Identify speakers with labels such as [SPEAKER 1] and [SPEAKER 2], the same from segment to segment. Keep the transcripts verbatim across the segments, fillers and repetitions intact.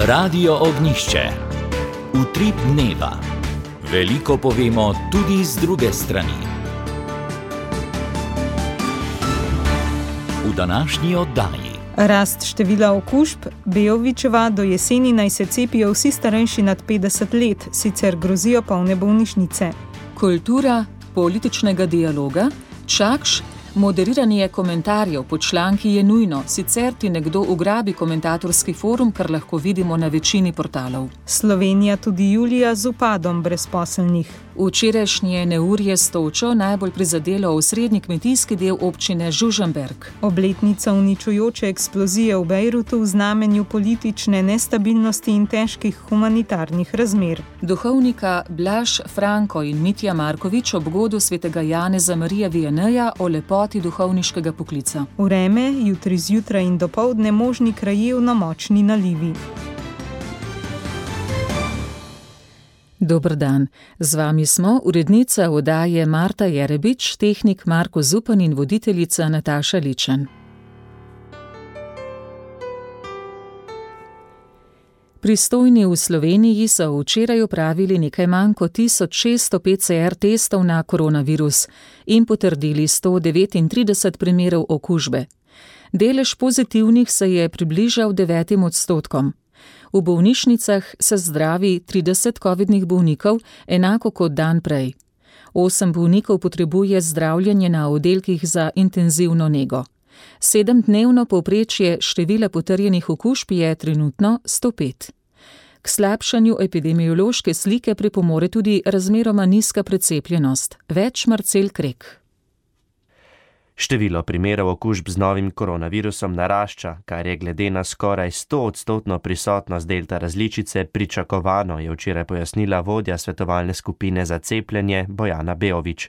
[SPEAKER 1] Radio Ognjišče. Utrip dneva. Veliko povemo tudi z druge strani. V današnji oddaji.
[SPEAKER 2] Rast števila okužb, Beovićeva, do jeseni naj se cepijo vsi starejši nad petdeset let, sicer grozijo polne bolnišnice.
[SPEAKER 3] Kultura političnega dialoga, Čakš, moderiranje komentarjev po članki je nujno, sicer ti nekdo ugrabi komentatorski forum, kar lahko vidimo na večini portalov.
[SPEAKER 2] Slovenija tudi julija z upadom brezposelnih.
[SPEAKER 3] Včerajšnje neurje s točo najbolj prizadelo osrednji kmetijski del občine Žužemberk.
[SPEAKER 2] Obletnica uničujoče eksplozije v Bejrutu v znamenju politične nestabilnosti in težkih humanitarnih razmer.
[SPEAKER 3] Duhovnika Blaž Franko in Mitja Markovič ob godu svetega Janeza Marija Vijaneja o lepoti duhovniškega poklica.
[SPEAKER 2] Vreme, jutri zjutraj in dopoldne možni krajevno močni nalivi.
[SPEAKER 3] Dober dan. Z vami smo urednica oddaje Marta Jerebič, tehnik Marko Zupan in voditeljica Nataša Ličen. Pristojni v Sloveniji so včeraj opravili nekaj manj kot tisoč šeststo P C R testov na koronavirus in potrdili sto devetintrideset primerov okužbe. Delež pozitivnih se je približal devetim odstotkom. V bolnišnicah se zdravi trideset covidnih bolnikov, enako kot dan prej. Osem bolnikov potrebuje zdravljenje na oddelkih za intenzivno nego. Sedemdnevno povprečje števila potrjenih okužb je trenutno sto pet. K slabšanju epidemiološke slike pripomore tudi razmeroma nizka precepljenost. Več Marcel Krek.
[SPEAKER 4] Število primerov okužb z novim koronavirusom narašča, kar je glede na skoraj stoodstotno prisotnost delta različice pričakovano, je včeraj pojasnila vodja svetovalne skupine za cepljenje Bojana Beović.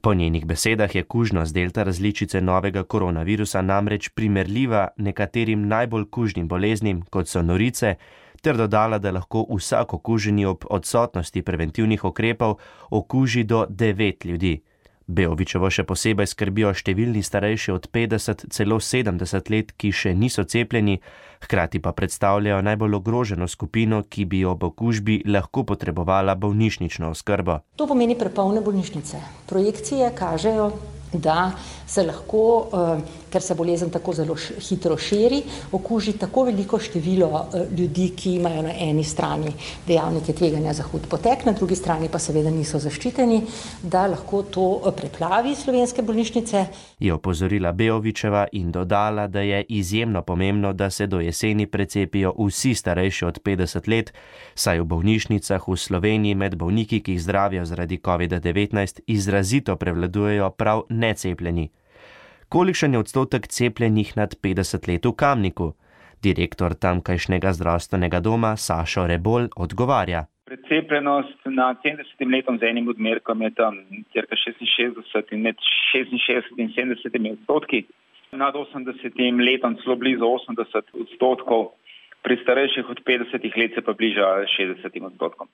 [SPEAKER 4] Po njenih besedah je kužnost delta različice novega koronavirusa namreč primerljiva nekaterim najbolj kužnim boleznim, kot so norice, ter dodala, da lahko vsak okuženi ob odsotnosti preventivnih ukrepov okuži do devet ljudi. Beovićevo še posebej skrbijo številni starejši od petdeset, celo sedemdeset let, ki še niso cepljeni, hkrati pa predstavljajo najbolj ogroženo skupino, ki bi ob okužbi lahko potrebovala bolnišnično oskrbo.
[SPEAKER 5] To pomeni prepolne bolnišnice. Projekcije kažejo, da se lahko, ker se bolezen tako zelo hitro širi, okuži tako veliko število ljudi, ki imajo na eni strani dejavnike tveganja za hud potek, na drugi strani pa seveda niso zaščiteni, da lahko to preplavi slovenske bolnišnice.
[SPEAKER 4] Je opozorila Beovićeva in dodala, da je izjemno pomembno, da se do jeseni precepijo vsi starejši od petdeset let, saj v bolnišnicah v Sloveniji med bolniki, ki jih zdravijo zaradi kovida devetnajst, izrazito prevladujejo prav necepljeni. Kolikšen je odstotek cepljenih nad petdeset let v Kamniku? Direktor tamkajšnjega zdravstvenega doma Sašo Rebolj odgovarja.
[SPEAKER 6] Precepljenost nad sedemdesetim letom z enim odmerkom je tam cirka šestinšestdeset in med šestinšestdeset in sedemdeset odstotki. Nad osemdesetim letom celo blizu osemdeset odstotkov, pri starejših od petdesetih let se pa bliža šestdesetim odstotkom.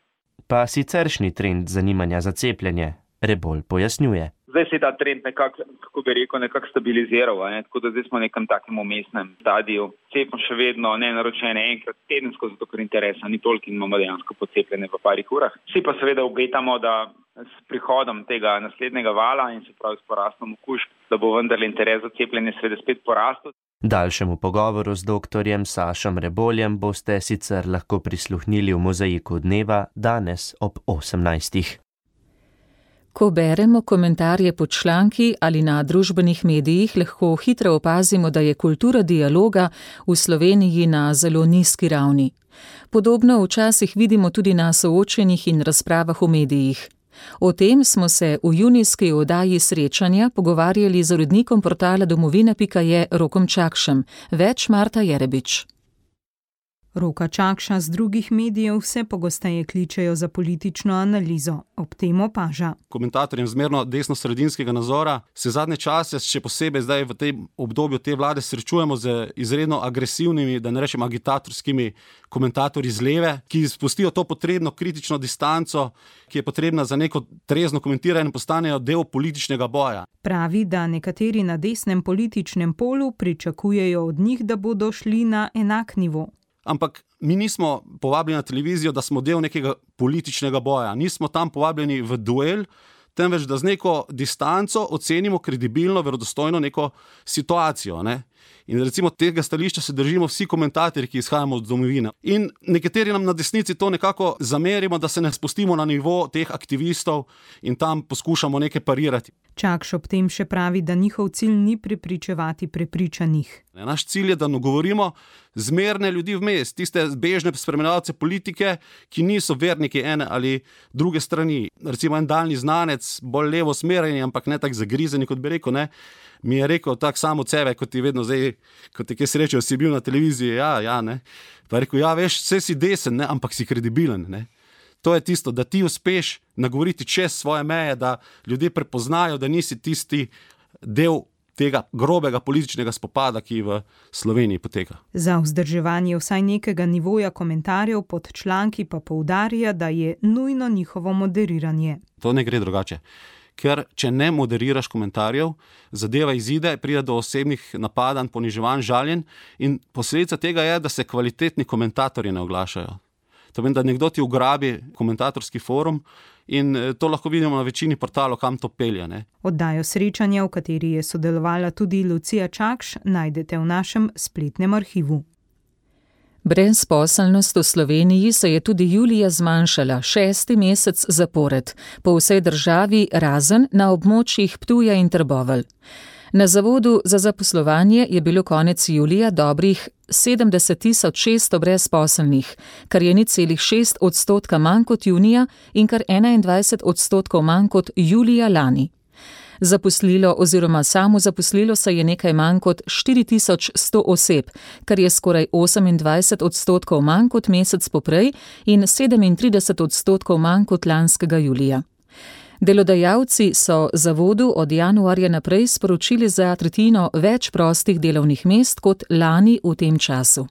[SPEAKER 4] Pa siceršnji trend zanimanja za cepljenje, Rebolj pojasnjuje.
[SPEAKER 6] Zdaj se je ta trend nekako, kako bi rekel, nekako stabiliziral, ne? Tako da zdaj smo v nekem takem umestnem stadiju. Cepimo še vedno nenaročene enkrat tedensko, zato ker interesa ni toliko in imamo dejansko pocepljene v parih urah. Vsi pa seveda obetamo, da s prihodom tega naslednjega vala in se pravi s porastom okužb, da bo vendarle interes za cepljenje seveda spet porastel.
[SPEAKER 4] Daljšemu pogovoru z doktorjem Sašom Reboljem boste sicer lahko prisluhnili v Mozaiku dneva danes ob osemnajstih.
[SPEAKER 3] Ko beremo komentarje pod članki ali na družbenih medijih, lahko hitro opazimo, da je kultura dialoga v Sloveniji na zelo nizki ravni. Podobno včasih vidimo tudi na soočenjih in razpravah v medijih. O tem smo se v junijski oddaji Srečanja pogovarjali z urednikom portala domovina pika je Rokom Čakšem. Več Marta Jerebič.
[SPEAKER 2] Roka Čakša z drugih medijev vse pogosteje kličejo za politično analizo. Ob tem opaža.
[SPEAKER 7] Komentatorjem zmerno desno-sredinskega nazora se zadnje čase, še posebej zdaj v tem obdobju te vlade, srečujemo z izredno agresivnimi, da ne rečem agitatorskimi komentatorji z leve, ki spustijo to potrebno kritično distanco, ki je potrebna za neko trezno komentiranje in postanejo del političnega boja.
[SPEAKER 2] Pravi, da nekateri na desnem političnem polu pričakujejo od njih, da bodo šli na enak nivo.
[SPEAKER 7] ampak mi nismo povabljeni na televizijo, da smo del nekega političnega boja. Nismo tam povabljeni v duel, temveč da z neko distanco ocenimo kredibilno, verodostojno neko situacijo. Ne? In recimo tega stališča se držimo vsi komentatorji, ki izhajamo od domovine. In nekateri nam na desnici to nekako zamerimo, da se ne spustimo na nivo teh aktivistov in tam poskušamo nekaj parirati.
[SPEAKER 2] Čakš ob tem še pravi, da njihov cilj ni prepričevati prepričanih.
[SPEAKER 7] Naš cilj je, da govorimo zmerne ljudi vmes, tiste bežne spremljevalce politike, ki niso verniki ene ali druge strani. Recimo en daljni znanec, bolj levo smereni, ampak ne tak zagrizeni, kot bi rekel, ne, mi je rekel tak sam od sebe, kot ti vedno zdaj, kot ti kaj srečo, si bil na televiziji, ja, ja, ne. Pa je rekel, ja, veš, vse si desen, ne, ampak si kredibilen, ne. To je tisto, da ti uspeš nagovoriti čez svoje meje, da ljudje prepoznajo, da nisi tisti del tega grobega političnega spopada, ki v Sloveniji poteka.
[SPEAKER 2] Za vzdrževanje vsaj nekega nivoja komentarjev pod članki pa poudarja, da je nujno njihovo moderiranje.
[SPEAKER 7] To ne gre drugače. Ker če ne moderiraš komentarjev, zadeva izide, pride do osebnih napadanj, poniževanj, žaljenj in posledica tega je, da se kvalitetni komentatorji ne oglašajo. To pomeni, da nekdo ti ugrabi komentatorski forum in to lahko vidimo na večini portalov, kam to pelje. Ne?
[SPEAKER 2] Oddajo srečanja, v kateri je sodelovala tudi Lucija Čakš, najdete v našem spletnem arhivu.
[SPEAKER 3] Brezposelnost v Sloveniji se je tudi julija zmanjšala, šesti mesec zapored, po vsej državi razen na območjih Ptuja in Trbovelj. Na Zavodu za zaposlovanje je bilo konec julija dobrih sedemdeset tisoč šeststo brezposelnih, kar je nič celih šest odstotka manj kot junija in kar enaindvajset odstotkov manj kot julija lani. Zaposlilo oziroma samozaposlilo se je nekaj manj kot štiri tisoč sto oseb, kar je skoraj osemindvajset odstotkov manj kot mesec poprej in sedemintrideset odstotkov manj kot lanskega julija. Delodajalci so Zavodu od januarja naprej sporočili za tretjino več prostih delovnih mest kot lani v tem času.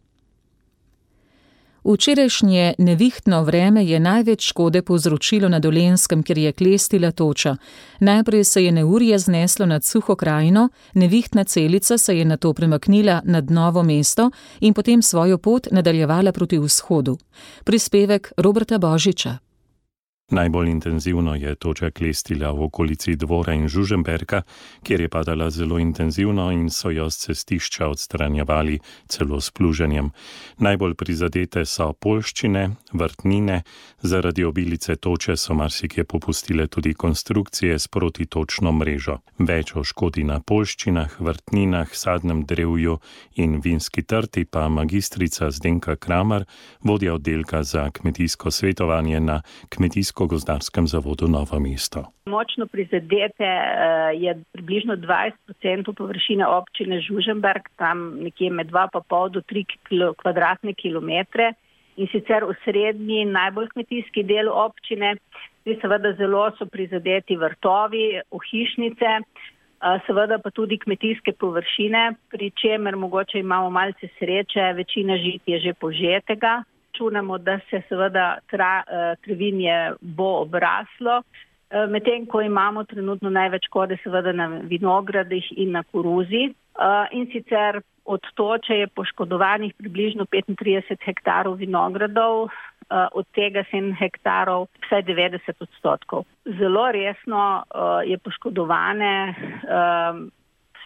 [SPEAKER 3] Včerajšnje nevihtno vreme je največ škode povzročilo na Dolenjskem, kjer je klestila toča. Najprej se je neurje zneslo nad Suho krajino, nevihtna celica se je nato premaknila nad Novo mesto in potem svojo pot nadaljevala proti vzhodu. Prispevek Roberta Božiča.
[SPEAKER 8] Najbolj intenzivno je toča klestila v okolici Dvora in Žužemberka, kjer je padala zelo intenzivno in so jo s cestišča odstranjevali celo s pluženjem. Najbolj prizadete so poljščine, vrtnine, zaradi obilice toče so marsikje popustile tudi konstrukcije s protitočno mrežo. Več o škodi na poljščinah, vrtninah, sadnem drevju in vinski trti pa magistrica Zdenka Kramer, vodja oddelka za kmetijsko svetovanje na Kmetijsko-gozdarskem zavodu Novo mesto.
[SPEAKER 9] Močno prizadete je približno dvajset procentov površine občine Žužemberk, tam nekje med dva pa pol do tri kvadratne kilometre in sicer v srednji najbolj kmetijski del občine. Seveda zelo so prizadeti vrtovi, ohišnice, seveda pa tudi kmetijske površine, pri čemer mogoče imamo malce sreče, večina žit je že požetega. Računamo, da se seveda tra, travinje bo obraslo, medtem ko imamo trenutno največ škode seveda na vinogradih in na koruzi. In sicer od toče je poškodovanih približno petintrideset hektarov vinogradov, od tega sedem hektarov, vsaj devetdeset odstotkov. Zelo resno je poškodovane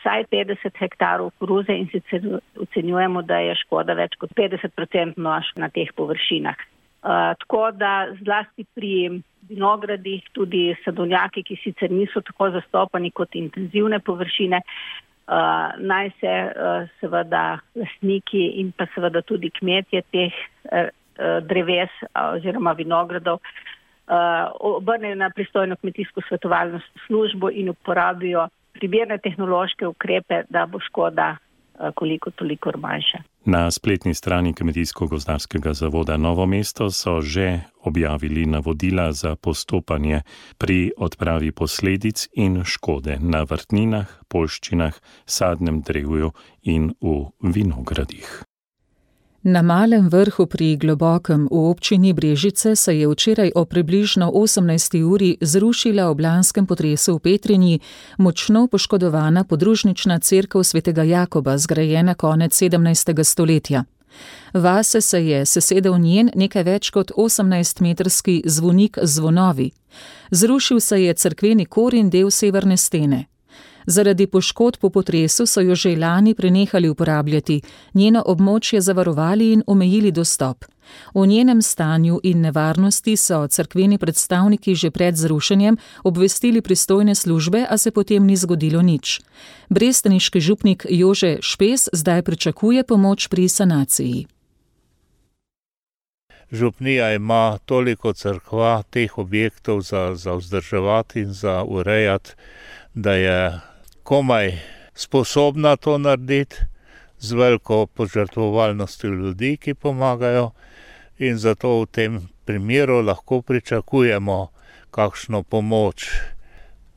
[SPEAKER 9] vsaj petdeset hektarov koruze in sicer ocenjujemo, da je škoda več kot petdeset procentov na teh površinah. Uh, tako da zlasti pri vinogradih, tudi sadovnjaki, ki sicer niso tako zastopani kot intenzivne površine, uh, naj se uh, seveda lastniki in pa seveda tudi kmetje teh uh, dreves uh, oziroma vinogradov uh, obrnejo na pristojno kmetijsko svetovalno službo in uporabijo primerne tehnološke ukrepe, da bo škoda koliko toliko manjša.
[SPEAKER 8] Na spletni strani Kmetijsko-gozdarskega zavoda Novo mesto so že objavili navodila za postopanje pri odpravi posledic in škode na vrtninah, poljščinah, sadnem drevju in v vinogradih.
[SPEAKER 3] Na Malem Vrhu pri Globokem v občini Brežice se je včeraj o približno osemnajsti uri zrušila ob lanskem potresu v Petrinji močno poškodovana podružnična cerkev svetega Jakoba, zgrajena konec sedemnajstega stoletja. Vase se je sesedel njen nekaj več kot osemnajstmetrski zvonik z zvonovi. Zrušil se je cerkveni kor in del severne stene. Zaradi poškodb po potresu so jo že lani prenehali uporabljati, njeno območje zavarovali in omejili dostop. O njenem stanju in nevarnosti so cerkveni predstavniki že pred zrušenjem obvestili pristojne službe, a se potem ni zgodilo nič. Brestaniški župnik Jože Špes zdaj pričakuje pomoč pri sanaciji.
[SPEAKER 10] Župnija ima toliko cerkva, teh objektov za, za vzdrževati in za urejati, da je komaj sposobna to narediti z veliko požrtvovalnostjo ljudi, ki pomagajo, in zato v tem primeru lahko pričakujemo kakšno pomoč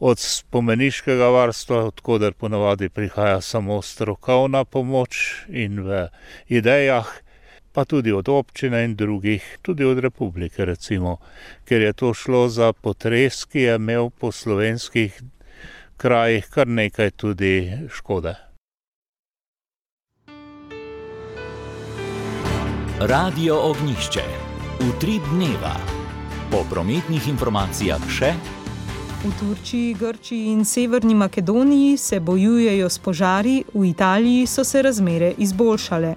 [SPEAKER 10] od spomeniškega varstva, odkoder ponavadi prihaja samo strokovna pomoč in v idejah, pa tudi od občine in drugih, tudi od republike recimo, ker je to šlo za potres, ki je imel po slovenskih krajih kar nekaj tudi škode.
[SPEAKER 1] Radio Ognjišče. Utrip dneva. Po prometnih informacijah še:
[SPEAKER 2] v Turčiji, Grčiji in Severni Makedoniji se bojujejo s požari, v Italiji so se razmere izboljšale.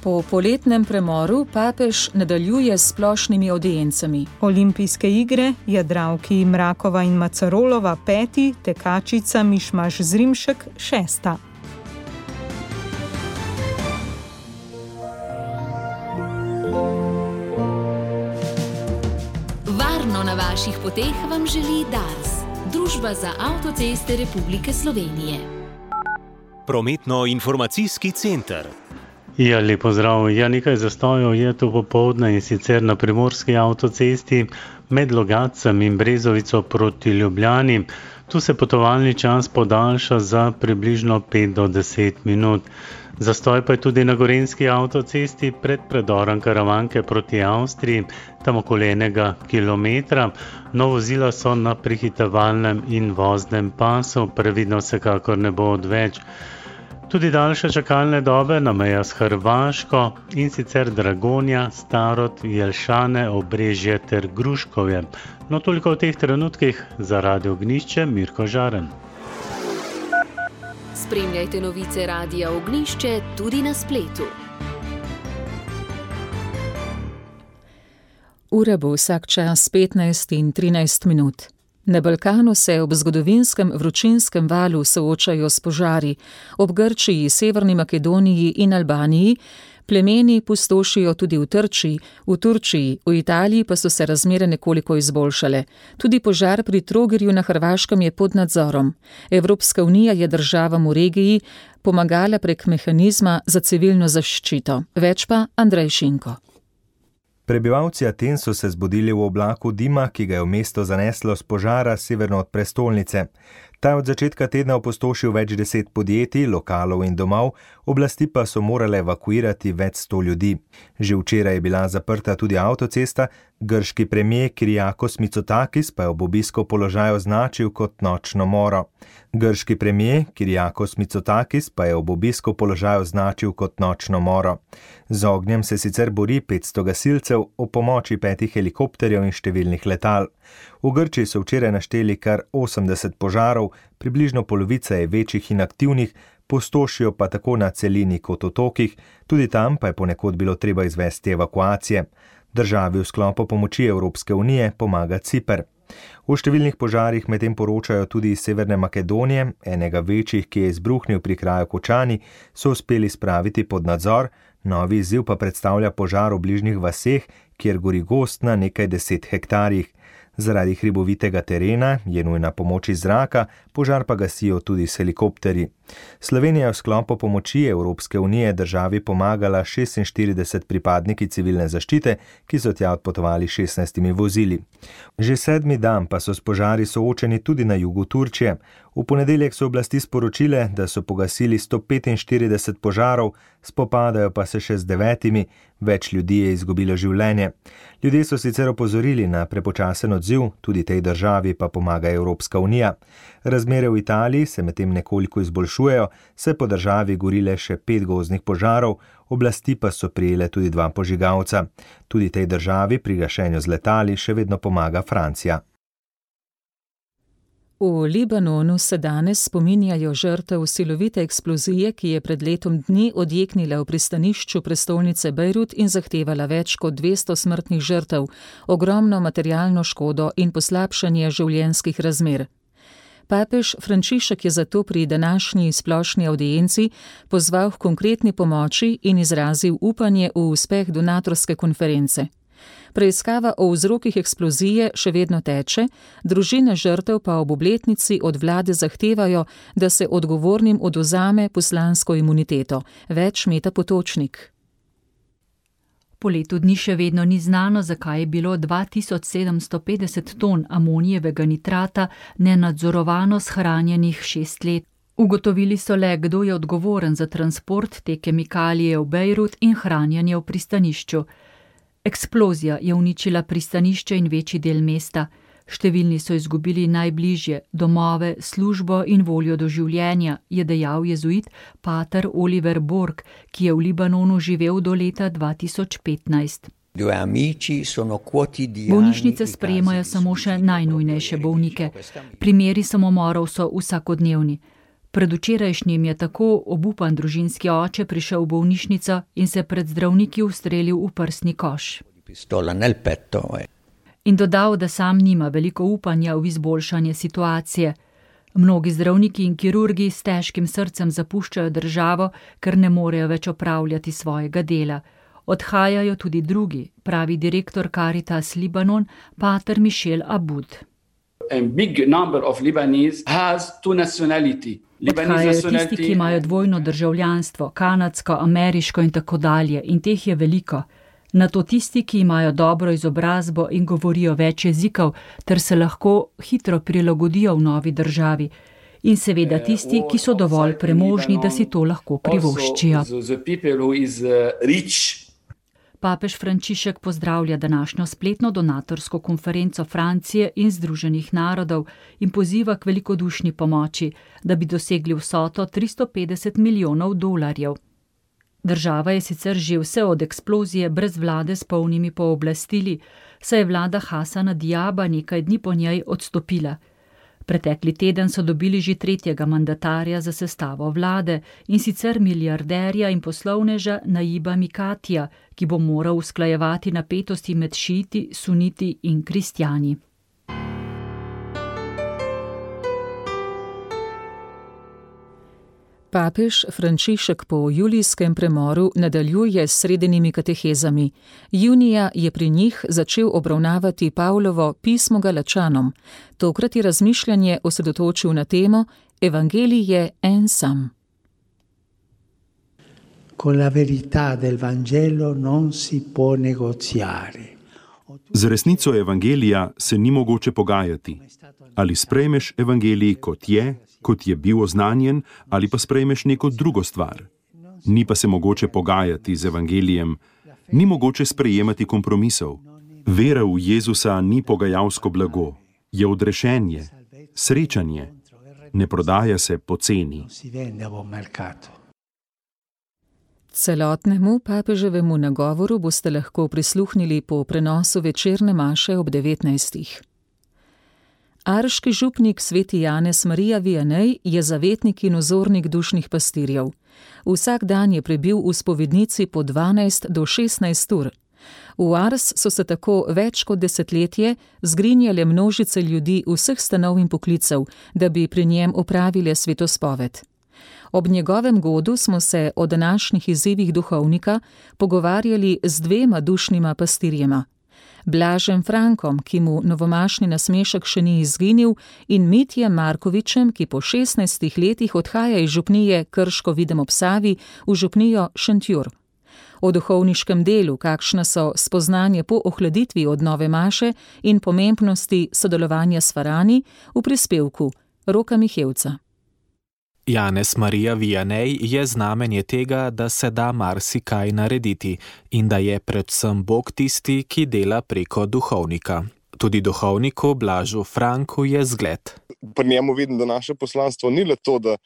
[SPEAKER 3] Po poletnem premoru papež nadaljuje s splošnimi audiencami.
[SPEAKER 2] Olimpijske igre, jadralki Mrakova in Macarolova peti, tekačica Mišmaš Zrimšek šesta.
[SPEAKER 11] Varno na vaših poteh vam želi Dars, Družba za avtoceste Republike Slovenije.
[SPEAKER 12] Prometno-informacijski center.
[SPEAKER 13] Ja, lepo zdrav. Ja, nekaj zastojev je to popoldne in sicer na primorski avtocesti med Logatcem in Brezovico proti Ljubljani. Tu se potovalni čas podaljša za približno pet do deset minut. Zastoj pa je tudi na gorenjski avtocesti pred predorom Karavanke proti Avstriji, tam okoli enega kilometra. No, vozila so na prehitevalnem in voznem pasu, previdno vsekakor ne bo odveč. Tudi daljše čakalne dobe na meja s Hrvaško, in sicer Dragonja, Starod, Jelšane, Obrežje ter Gruškovje. No, toliko v teh trenutkih. Za Radio Ognjišče, Mirko Žaren.
[SPEAKER 11] Spremljajte novice Radia Ognjišče tudi na spletu.
[SPEAKER 3] Ura bo vsak čas petnajst in trinajst minut. Na Balkanu se ob zgodovinskem vročinskem valu soočajo s požari. Ob Grčiji, Severni Makedoniji in Albaniji plemeni pustošijo tudi v Trčiji, v Turčiji, v Italiji pa so se razmere nekoliko izboljšale. Tudi požar pri Trogirju na Hrvaškem je pod nadzorom. Evropska unija je državam v regiji pomagala prek mehanizma za civilno zaščito. Več pa Andrej Šinko.
[SPEAKER 14] Prebivalci Aten so se zbudili v oblaku dima, ki ga je v mesto zaneslo s požara severno od prestolnice. Ta je od začetka tedna opustošil več deset podjetij, lokalov in domov, oblasti pa so morale evakuirati več sto ljudi. Že včeraj je bila zaprta tudi avtocesta, grški premijer Kyriakos Mitsotakis pa je ob obisku položaj označil kot nočno moro. Grški premijer Kyriakos Mitsotakis pa je ob obisku položaj označil kot nočno moro. Z ognjem se sicer bori petsto gasilcev, ob pomoči petih helikopterjev in številnih letal. V Grčiji so včeraj našteli kar osemdeset požarov, približno polovica je večjih in aktivnih, pustošijo pa tako na celini kot otokih, tudi tam pa je ponekod bilo treba izvesti evakuacije. Državi v sklopu pomoči Evropske unije pomaga Ciper. V številnih požarih medtem poročajo tudi iz Severne Makedonije, enega večjih, ki je izbruhnil pri kraju Kočani, so uspeli spraviti pod nadzor, novi izziv pa predstavlja požar v bližnjih vaseh, kjer gori gozd na nekaj deset hektarjih. Zaradi hribovitega terena je nujna pomoč iz zraka, požar pa gasijo tudi s helikopterji. Slovenija je v sklopu pomoči Evropske unije državi pomagala šestinštirideset pripadniki civilne zaščite, ki so tja odpotovali šestnajstimi vozili. Že sedmi dan pa so s požari soočeni tudi na jugu Turčije. V ponedeljek so oblasti sporočile, da so pogasili sto petinštirideset požarov, spopadajo pa se še z devetimi, več ljudi je izgubilo življenje. Ljudje so sicer opozorili na prepočasen odziv, tudi tej državi pa pomaga Evropska unija. Razmere v Italiji se medtem nekoliko izboljšujejo, se po državi gorile še pet gozdnih požarov, oblasti pa so prijele tudi dva požigalca. Tudi tej državi pri gašenju z letali še vedno pomaga Francija.
[SPEAKER 3] V Libanonu se danes spominjajo žrtev silovite eksplozije, ki je pred letom dni odjeknila v pristanišču prestolnice Bejrut in zahtevala več kot dvesto smrtnih žrtev, ogromno materialno škodo in poslabšanje življenjskih razmer. Papež Frančišek je zato pri današnji splošni avdienci pozval k konkretni pomoči in izrazil upanje v uspeh donatorske konference. Preiskava o vzrokih eksplozije še vedno teče, družine žrtev pa ob obletnici od vlade zahtevajo, da se odgovornim odvzame poslansko imuniteto. Več Meta Potočnik.
[SPEAKER 12] Po letu dni še vedno ni znano, zakaj je bilo dva tisoč sedemsto petdeset ton amonijevega nitrata nenadzorovano shranjenih šest let. Ugotovili so le, kdo je odgovoren za transport te kemikalije v Bejrut in hranjenje v pristanišču. Eksplozija je uničila pristanišče in večji del mesta. Številni so izgubili najbližje, domove, službo in voljo do življenja, je dejal jezuit pater Oliver Borg, ki je v Libanonu živel do leta dva tisoč petnajst. Bolnišnice sprejemajo samo še najnujnejše bolnike. Primeri samomorov so vsakodnevni. Predvčerajšnjim je tako obupan družinski oče prišel v bolnišnico in se pred zdravniki ustrelil v prsni koš. In dodal, da sam nima veliko upanja v izboljšanje situacije. Mnogi zdravniki in kirurgi s težkim srcem zapuščajo državo, ker ne morejo več opravljati svojega dela. Odhajajo tudi drugi, pravi direktor Caritas Libanon, pater Michel Aboud. Odhajajo tisti, ki imajo dvojno državljanstvo, kanadsko, ameriško in tako dalje, in teh je veliko. Nato tisti, ki imajo dobro izobrazbo in govorijo več jezikov, ter se lahko hitro prilagodijo v novi državi. In seveda tisti, ki so dovolj premožni, da si to lahko privoščijo. Papež Frančišek pozdravlja današnjo spletno donatorsko konferenco Francije in Združenih narodov in poziva k velikodušni pomoči, da bi dosegli vsoto tristo petdeset milijonov dolarjev. Država je sicer že vse od eksplozije brez vlade s polnimi pooblastili, saj je vlada Hasana Diaba nekaj dni po njej odstopila. Pretekli teden so dobili že tretjega mandatarja za sestavo vlade, in sicer milijarderja in poslovneža Najiba Mikatija, ki bo moral usklajevati napetosti med šiiti, suniti in kristjani.
[SPEAKER 3] Papež Frančišek po julijskem premoru nadaljuje s sredinimi katehezami. Junija je pri njih začel obravnavati Pavlovo pismo Galačanom. Tokrat je razmišljanje osredotočil na temo Evangelij je en sam.
[SPEAKER 15] Con la verità del Vangelo non si può negoziare.
[SPEAKER 16] Z resnico evangelija se ni mogoče pogajati. Ali sprejmeš evangelij kot je, kot je bil oznanjen, ali pa sprejmeš neko drugo stvar. Ni pa se mogoče pogajati z evangelijem, ni mogoče sprejemati kompromisov. Vera v Jezusa ni pogajalsko blago, je odrešenje, srečanje, ne prodaja se poceni.
[SPEAKER 3] Celotnemu papeževemu nagovoru boste lahko prisluhnili po prenosu večerne maše ob devetnajstih. Arški župnik sveti Janez Marija Vianney je zavetnik in vzornik dušnih pastirjev. Vsak dan je prebil v spovednici po dvanajst do šestnajst ur. V Ars so se tako več kot desetletje zgrinjale množice ljudi vseh stanov in poklicev, da bi pri njem opravile svetospoved. Ob njegovem godu smo se o današnjih izzivih duhovnika pogovarjali z dvema dušnima pastirjema. Blažem Frankom, ki mu novomašni nasmešek še ni izginil, in Mitjem Markovičem, ki po šestnajstih letih odhaja iz župnije Krško videm ob Savi v župnijo Šentjur. O duhovniškem delu, kakšna so spoznanje po ohladitvi od nove maše in pomembnosti sodelovanja s farani, v prispevku Roka Mihevca.
[SPEAKER 17] Janez Marija Vianney je znamenje tega, da se da marsikaj narediti in da je predvsem Bog tisti, ki dela preko duhovnika. Tudi duhovniku Blažu Franku je zgled.
[SPEAKER 18] Pri njemu vidim, da naše poslanstvo ni le to, da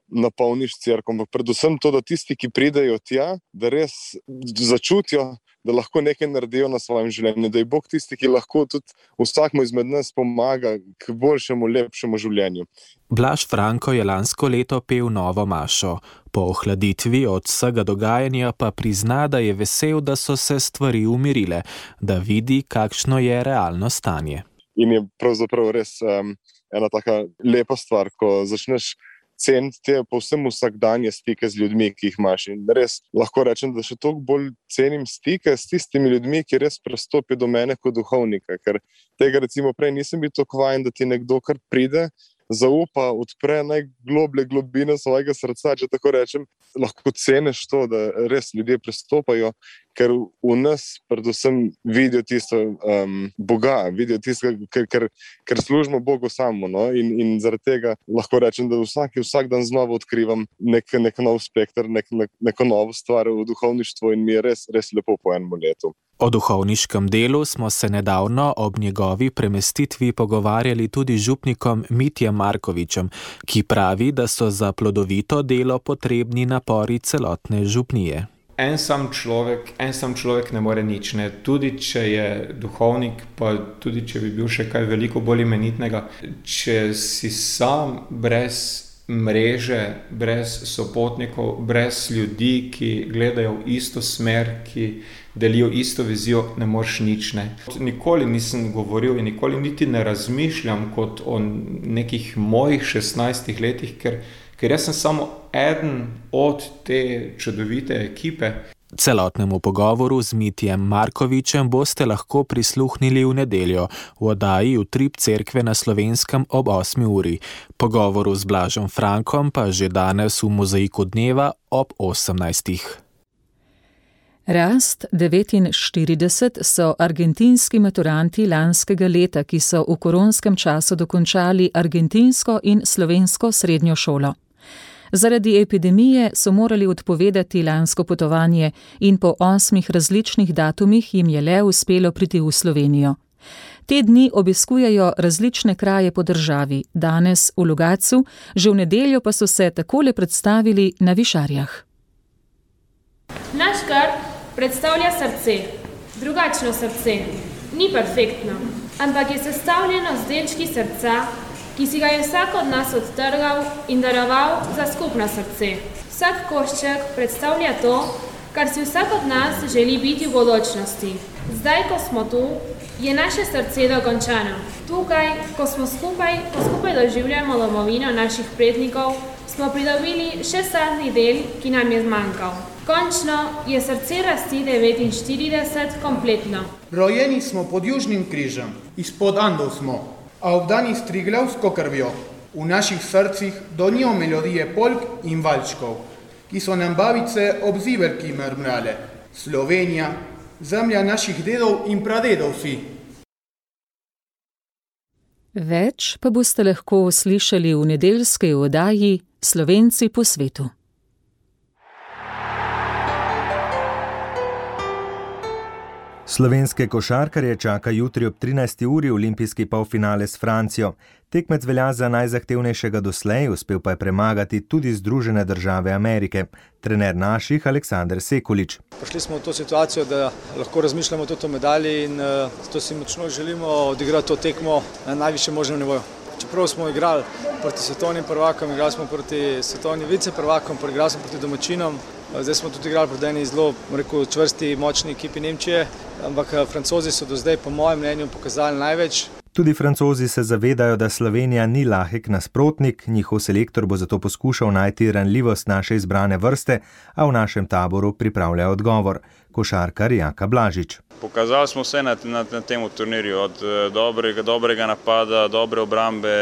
[SPEAKER 18] napolniš cerkev, ampak predvsem to, da tisti, ki pridejo tja, da res začutijo, da lahko nekaj naredijo na svojem življenju, da je Bog tisti, ki lahko tudi vsakmu izmed nas pomaga k boljšemu, lepšemu življenju.
[SPEAKER 17] Blaž Franko je lansko leto pel novo mašo. Po ohladitvi od vsega dogajanja pa prizna, da je vesel, da so se stvari umirile, da vidi, kakšno je realno stanje.
[SPEAKER 18] In je pravzaprav res um, ena taka lepa stvar, ko začneš ceniti te povsem vsakdanje stike z ljudmi, ki jih imaš. In res lahko rečem, da še toliko bolj cenim stike s tistimi ljudmi, ki res prestopijo do mene kot duhovnika, ker tega recimo prej nisem bil tako vajen, da ti nekdo kar pride, zaupa, odpre najgloblje globine svojega srca, če tako rečem, lahko ceniš to, da res ljudje prestopajo, ker v nas predvsem vidijo tisto um, Boga, vidijo tisto, ker, ker, ker služimo Bogu samo. No? In, in zaradi tega lahko rečem, da vsak, vsak dan znova odkrivam nek, nek nov spekter, nek, nek, neko novo stvar v duhovništvu in mi je res, res lepo po enem letu.
[SPEAKER 17] O duhovniškem delu smo se nedavno ob njegovi premestitvi pogovarjali tudi z župnikom Mitjem Markovičem, ki pravi, da so za plodovito delo potrebni napori celotne župnije.
[SPEAKER 19] En sam človek, en sam človek ne more nič, ne. Tudi če je duhovnik, pa tudi če bi bil še kaj veliko bolj imenitnega, če si sam brez mreže, brez sopotnikov, brez ljudi, ki gledajo v isto smer, ki delijo isto vizijo, ne moreš nič, ne. Nikoli nisem govoril in nikoli niti ne razmišljam kot o nekih mojih šestnajstih letih, ker ker jaz sem samo eden od te čudovite ekipe.
[SPEAKER 17] Celotnemu pogovoru z Mitjem Markovičem boste lahko prisluhnili v nedeljo v oddaji Utrip cerkve na Slovenskem ob osmi uri. Pogovoru z Blažem Frankom pa že danes v Mozaiku dneva ob osemnajstih.
[SPEAKER 3] Rast devetinštirideset so argentinski maturanti lanskega leta, ki so v koronskem času dokončali argentinsko in slovensko srednjo šolo. Zaradi epidemije so morali odpovedati lansko potovanje in po osmih različnih datumih jim je le uspelo priti v Slovenijo. Te dni obiskujejo različne kraje po državi, danes v Logatcu, že v nedeljo pa so se takole predstavili na Višarjah.
[SPEAKER 20] Naš grb predstavlja srce, drugačno srce, ni perfektno, ampak je sestavljeno z delčki srca, ki si ga je vsak od nas odtrgal in daroval za skupno srce. Vsak košček predstavlja to, kar si vsak od nas želi biti v bodočnosti. Zdaj, ko smo tu, je naše srce dokončano. Tukaj, ko smo skupaj, ko skupaj doživljamo domovino naših prednikov, smo pridobili še zadnji del, ki nam je zmanjkal. Končno je srce rasti devetinštirideset kompletno.
[SPEAKER 21] Rojeni smo pod Južnim križem, izpod Andov smo, a obdani s triglavsko krvjo. V naših srcih donijo melodije polk in valčkov, ki so nam babice ob zivelki mrmrale. Slovenija, zemlja naših dedov in pradedov si.
[SPEAKER 3] Več pa boste lahko slišali v nedeljski oddaji Slovenci po svetu.
[SPEAKER 14] Slovenske košarkarje čaka jutri ob trinajsti uri olimpijski polfinale s Francijo. Tekmec velja za najzahtevnejšega doslej, uspel pa je premagati tudi Združene države Amerike. Trener naših Aleksander Sekulič.
[SPEAKER 22] Prišli smo v to situacijo, da lahko razmišljamo tudi o medalji in uh, zato si močno želimo odigrati to tekmo na najvišjem možnem nivoju. Čeprav smo igrali proti svetovnim prvakom, igrali smo proti svetovnim viceprvakom, igrali smo proti domačinom. Zdaj smo tudi igrali proti eni zelo, rekel, čvrsti, močni ekipi Nemčije, ampak Francozi so do zdaj, po mojem mnenju, pokazali največ.
[SPEAKER 14] Tudi Francozi se zavedajo, da Slovenija ni lahek nasprotnik, njihov selektor bo zato poskušal najti ranljivost naše izbrane vrste, a v našem taboru pripravlja odgovor. Košarkar Jaka Blažič.
[SPEAKER 23] Pokazali smo vse na, na, na tem turnirju, od dobrega, dobrega napada, dobre obrambe,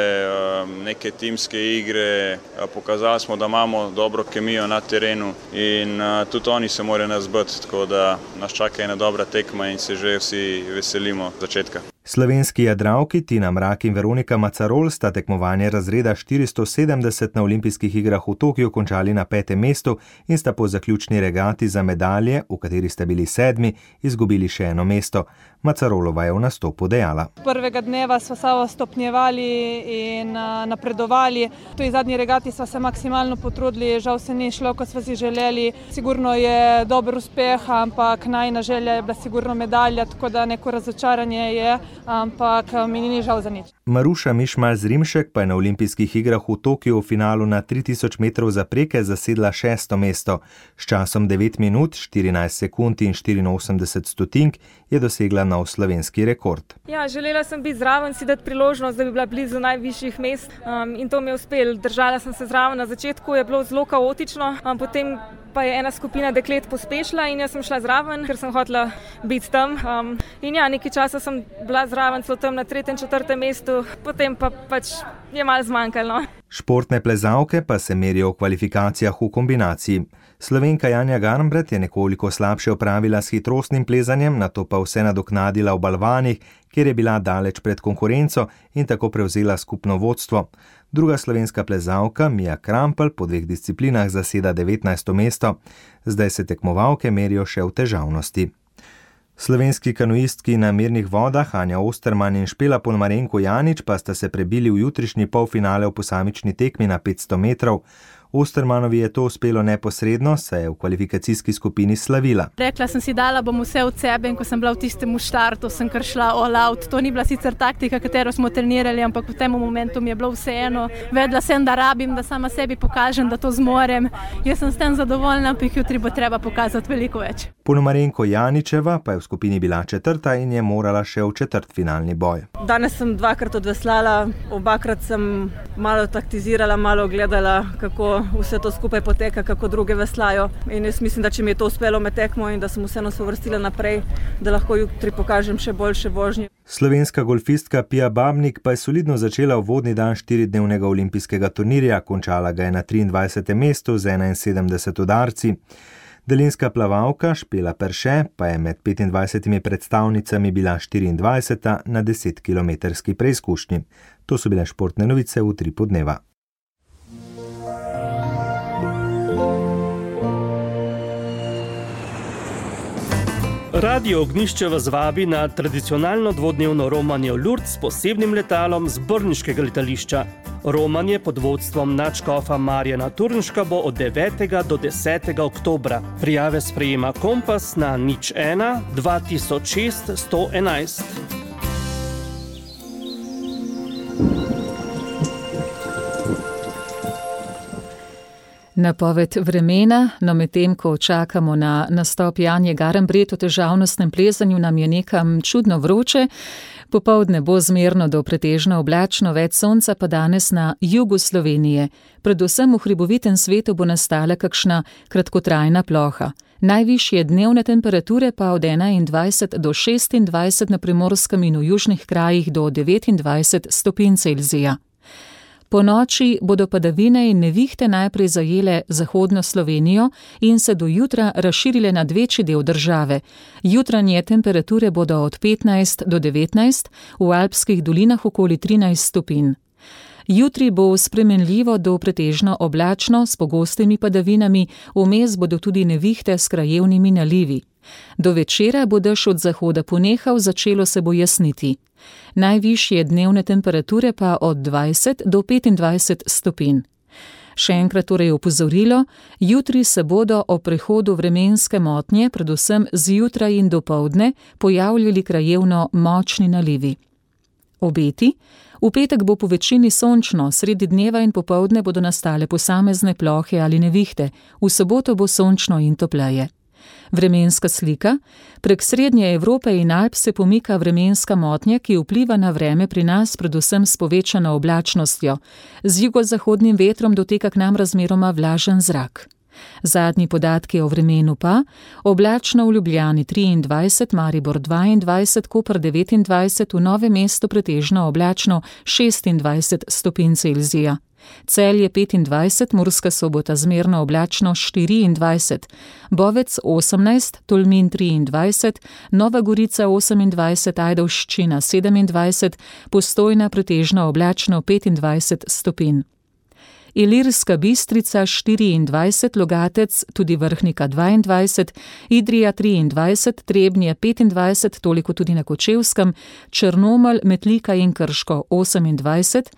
[SPEAKER 23] neke timske igre. Pokazali smo, da imamo dobro kemijo na terenu in tudi oni se morajo nas biti, tako da nas čaka ena dobra tekma in se že vsi veselimo začetka.
[SPEAKER 14] Slovenski jadralki Tina Mrak in Veronika Macarol sta tekmovanje razreda štiristo sedemdeset na olimpijskih igrah v Tokiu končali na petem mestu in sta po zaključni regati za medalje, v kateri sta bili sedmi, izgubili še eno mesto. Macarolova je v nastopu dejala.
[SPEAKER 4] Prvega dneva sva samo stopnjevali in napredovali. V tej zadnji regati sva se maksimalno potrudili, žal se ni šlo, kot sva si želeli. Sigurno je dober uspeh, ampak najina želja je bila sigurno medalja, tako da neko razočaranje je, ampak mi ni žal za nič.
[SPEAKER 14] Maruša Mišmal-Zrimšek pa je na olimpijskih igrah v Tokiu v finalu na tri tisoč metrov zapreke zasedla šesto mesto. S časom devet minut, štirinajst sekund in štiriinosemdeset stotink je dosegla nov slovenski rekord.
[SPEAKER 4] Ja, želela sem biti zraven, si dati priložnost, da bi bila blizu najvišjih mest um, in to mi je uspelo. Držala sem se zraven, na začetku je bilo zelo kaotično, um, potem pa je ena skupina deklet pospešila in jaz sem šla zraven, ker sem hotela biti tam. Um, in ja, nekaj časa sem bila zraven, celo tam na tretjem, četrtem mestu, potem pa pač je malo zmanjkalo.
[SPEAKER 14] Športne plezalke pa se merijo v kvalifikacijah v kombinaciji. Slovenka Janja Garnbret je nekoliko slabše opravila s hitrostnim plezanjem, nato pa vse nadoknadila v balvanih, kjer je bila daleč pred konkurenco in tako prevzela skupno vodstvo. Druga slovenska plezalka, Mija Krampelj, po dveh disciplinah zaseda devetnajsto mesto. Zdaj se tekmovalke merijo še v težavnosti. Slovenski kanuistki na mirnih vodah Anja Osterman in Špela Polmarenko Janič pa sta se prebili v jutrišnji polfinale v posamični tekmi na petsto metrov. Ostermanovi je to uspelo neposredno, saj je v kvalifikacijski skupini slavila.
[SPEAKER 5] Rekla sem si, dala bom vse od sebe in ko sem bila v tistem štartu, sem kar šla all out. To ni bila sicer taktika, katero smo trenirali, ampak v tem momentu mi je bilo vseeno. Vedela sem, da rabim, da sama sebi pokažem, da to zmorem. Jaz sem s tem zadovoljna, ampak jutri bo treba pokazati veliko več.
[SPEAKER 14] Polmarenko Janičeva pa je v skupini bila četrta in je morala še v četrtfinalni boj.
[SPEAKER 4] Danes sem dvakrat odveslala, obakrat sem malo taktizirala, malo gledala, kako vse to skupaj poteka, kako druge veslajo. In jaz mislim, da če mi je to uspelo med tekmo in da sem vseeno se uvrstila naprej, da lahko jutri pokažem še boljše vožnje.
[SPEAKER 14] Slovenska golfistka Pia Babnik pa je solidno začela uvodni dan štiridnevnega olimpijskega turnirja, končala ga je na triindvajsetem mestu z enainsedemdeset udarci. Daljinska plavalka Špela Perše pa je med petindvajsetimi predstavnicami bila štiriindvajseta na desetkilometrski preizkušnji. To so bile športne novice v Utripu dneva.
[SPEAKER 6] Radio Ognjišče vas vabi na tradicionalno dvodnevno romanje v Lourdes s posebnim letalom z brniškega letališča. Romanje pod vodstvom nadškofa Marjana Turnška bo od devetega do desetega oktobra. Prijave sprejema Kompas na nič ena dva tisoč šest sto enajst.
[SPEAKER 3] Napoved vremena, no medtem ko čakamo na nastop Janje Garnbret v težavnostnem plezanju, nam je nekam čudno vroče. Popoldne bo zmerno do pretežno oblačno, več sonca pa danes na jugu Slovenije. Predvsem v hribovitem svetu bo nastala kakšna kratkotrajna ploha. Najvišje dnevne temperature pa od enaindvajset do šestindvajset na Primorskem in v južnih krajih do devetindvajset stopinj Celzija. Po noči bodo padavine in nevihte najprej zajele zahodno Slovenijo in se do jutra razširile nad večji del države. Jutranje temperature bodo od petnajst do devetnajst, v alpskih dolinah okoli trinajst stopinj. Jutri bo spremenljivo do pretežno oblačno s pogostimi padavinami, vmes bodo tudi nevihte s krajevnimi nalivi. Do večera bo dež od zahoda ponehal, začelo se bo jasniti. Najvišje dnevne temperature pa od dvajset do petindvajset stopinj. Še enkrat torej opozorilo, jutri se bodo o prehodu vremenske motnje, predvsem zjutraj in dopoldne, pojavljali krajevno močni nalivi. Obeti. V petek bo po večini sončno, sredi dneva in popoldne bodo nastale posamezne plohe ali nevihte, v soboto bo sončno in topleje. Vremenska slika. Prek srednje Evrope in Alp se pomika vremenska motnja, ki vpliva na vreme pri nas predvsem s povečano oblačnostjo. Z jugozahodnim vetrom doteka k nam razmeroma vlažen zrak. Zadnji podatki o vremenu pa: oblačno v Ljubljani triindvajset, Maribor dvaindvajset, Koper devetindvajset, v Novem mestu pretežno oblačno šestindvajset stopinj Celzija. Celje petindvajset, Murska Sobota zmerno oblačno štiriindvajset, Bovec osemnajst, Tolmin triindvajset, Nova Gorica osemindvajset, Ajdovščina sedemindvajset, Postojna pretežno oblačno petindvajset stopinj. Ilirska Bistrica štiriindvajset, Logatec, tudi Vrhnika dvaindvajset, Idrija triindvajset, Trebnje petindvajset, toliko tudi na Kočevskem, Črnomelj, Metlika in Krško osemindvajset,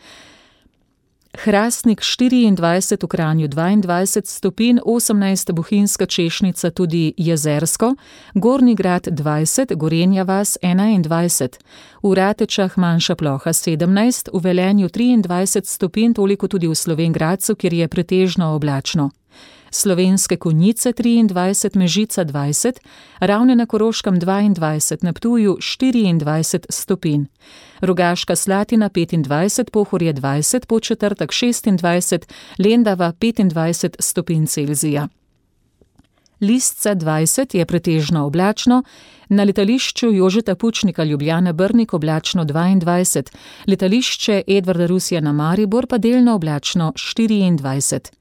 [SPEAKER 3] Hrastnik štiriindvajset, v Kranju dvaindvajset stopinj, osemnajst Bohinjska Češnica, tudi Jezersko, Gornji Grad dvajset, Gorenja vas enaindvajset, v Ratečah manjša ploha sedemnajst, v Velenju triindvajset stopinj, toliko tudi v Slovenj Gradcu, kjer je pretežno oblačno. Slovenske Konjice triindvajset, Mežica dvajset, Ravne na Koroškem dvaindvajset, na Ptuju štiriindvajset stopinj. Rogaška Slatina petindvajset, Pohorje dvajset, Podčetrtek šestindvajset, Lendava petindvajset stopinj Celzija. Listca dvajset je pretežno oblačno, na letališču Jožeta Pučnika Ljubljana Brnik oblačno dvaindvajset, letališče Edvarda Rusjana Maribor pa delno oblačno štiriindvajset.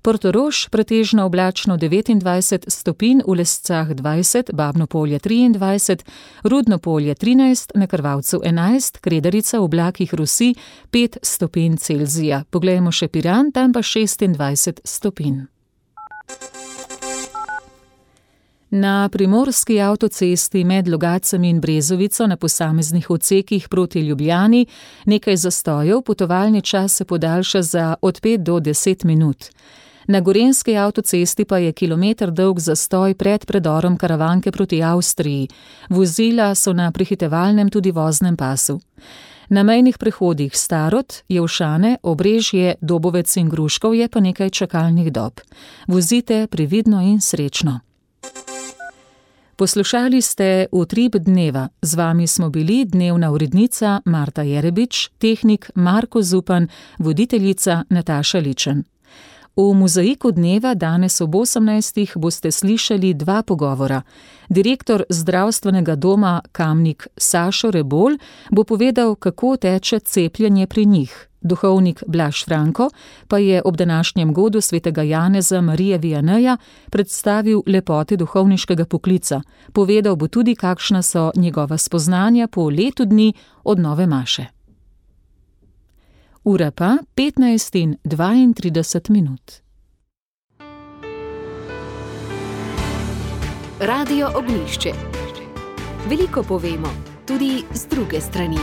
[SPEAKER 3] Portorož pretežno oblačno devetindvajset stopinj, v Lescah dvajset, Babno Polje triindvajset, Rudno Polje trinajst, na Krvavcu enajst, Kredarica v oblakih rosi pet stopinj Celzija. Poglejmo še Piran, tam pa šestindvajset stopinj. Na primorski avtocesti med Logatcem in Brezovico na posameznih odsekih proti Ljubljani nekaj zastojev, potovalni čas se podaljša za od pet do deset minut. Na gorenjski avtocesti pa je kilometer dolg zastoj pred predorom Karavanke proti Avstriji. Vozila so na prehitevalnem tudi voznem pasu. Na mejnih prehodih Starod, Jevšane, Obrežje, Dobovec in Gruškov je pa nekaj čakalnih dob. Vozite previdno in srečno. Poslušali ste Utrip dneva. Z vami smo bili dnevna urednica Marta Jerebič, tehnik Marko Zupan, voditeljica Nataša Ličen. V Mozaiku dneva danes ob osemnajstih boste slišali dva pogovora. Direktor zdravstvenega doma Kamnik Sašo Rebolj bo povedal, kako teče cepljenje pri njih. Duhovnik Blaž Franko pa je ob današnjem godu svetega Janeza Marije Vianeja predstavil lepote duhovniškega poklica. Povedal bo tudi, kakšna so njegova spoznanja po letu dni od nove maše. Ura pa petnajst in dvaintrideset minut.
[SPEAKER 11] Radio Ognjišče. Veliko povemo, tudi z druge strani.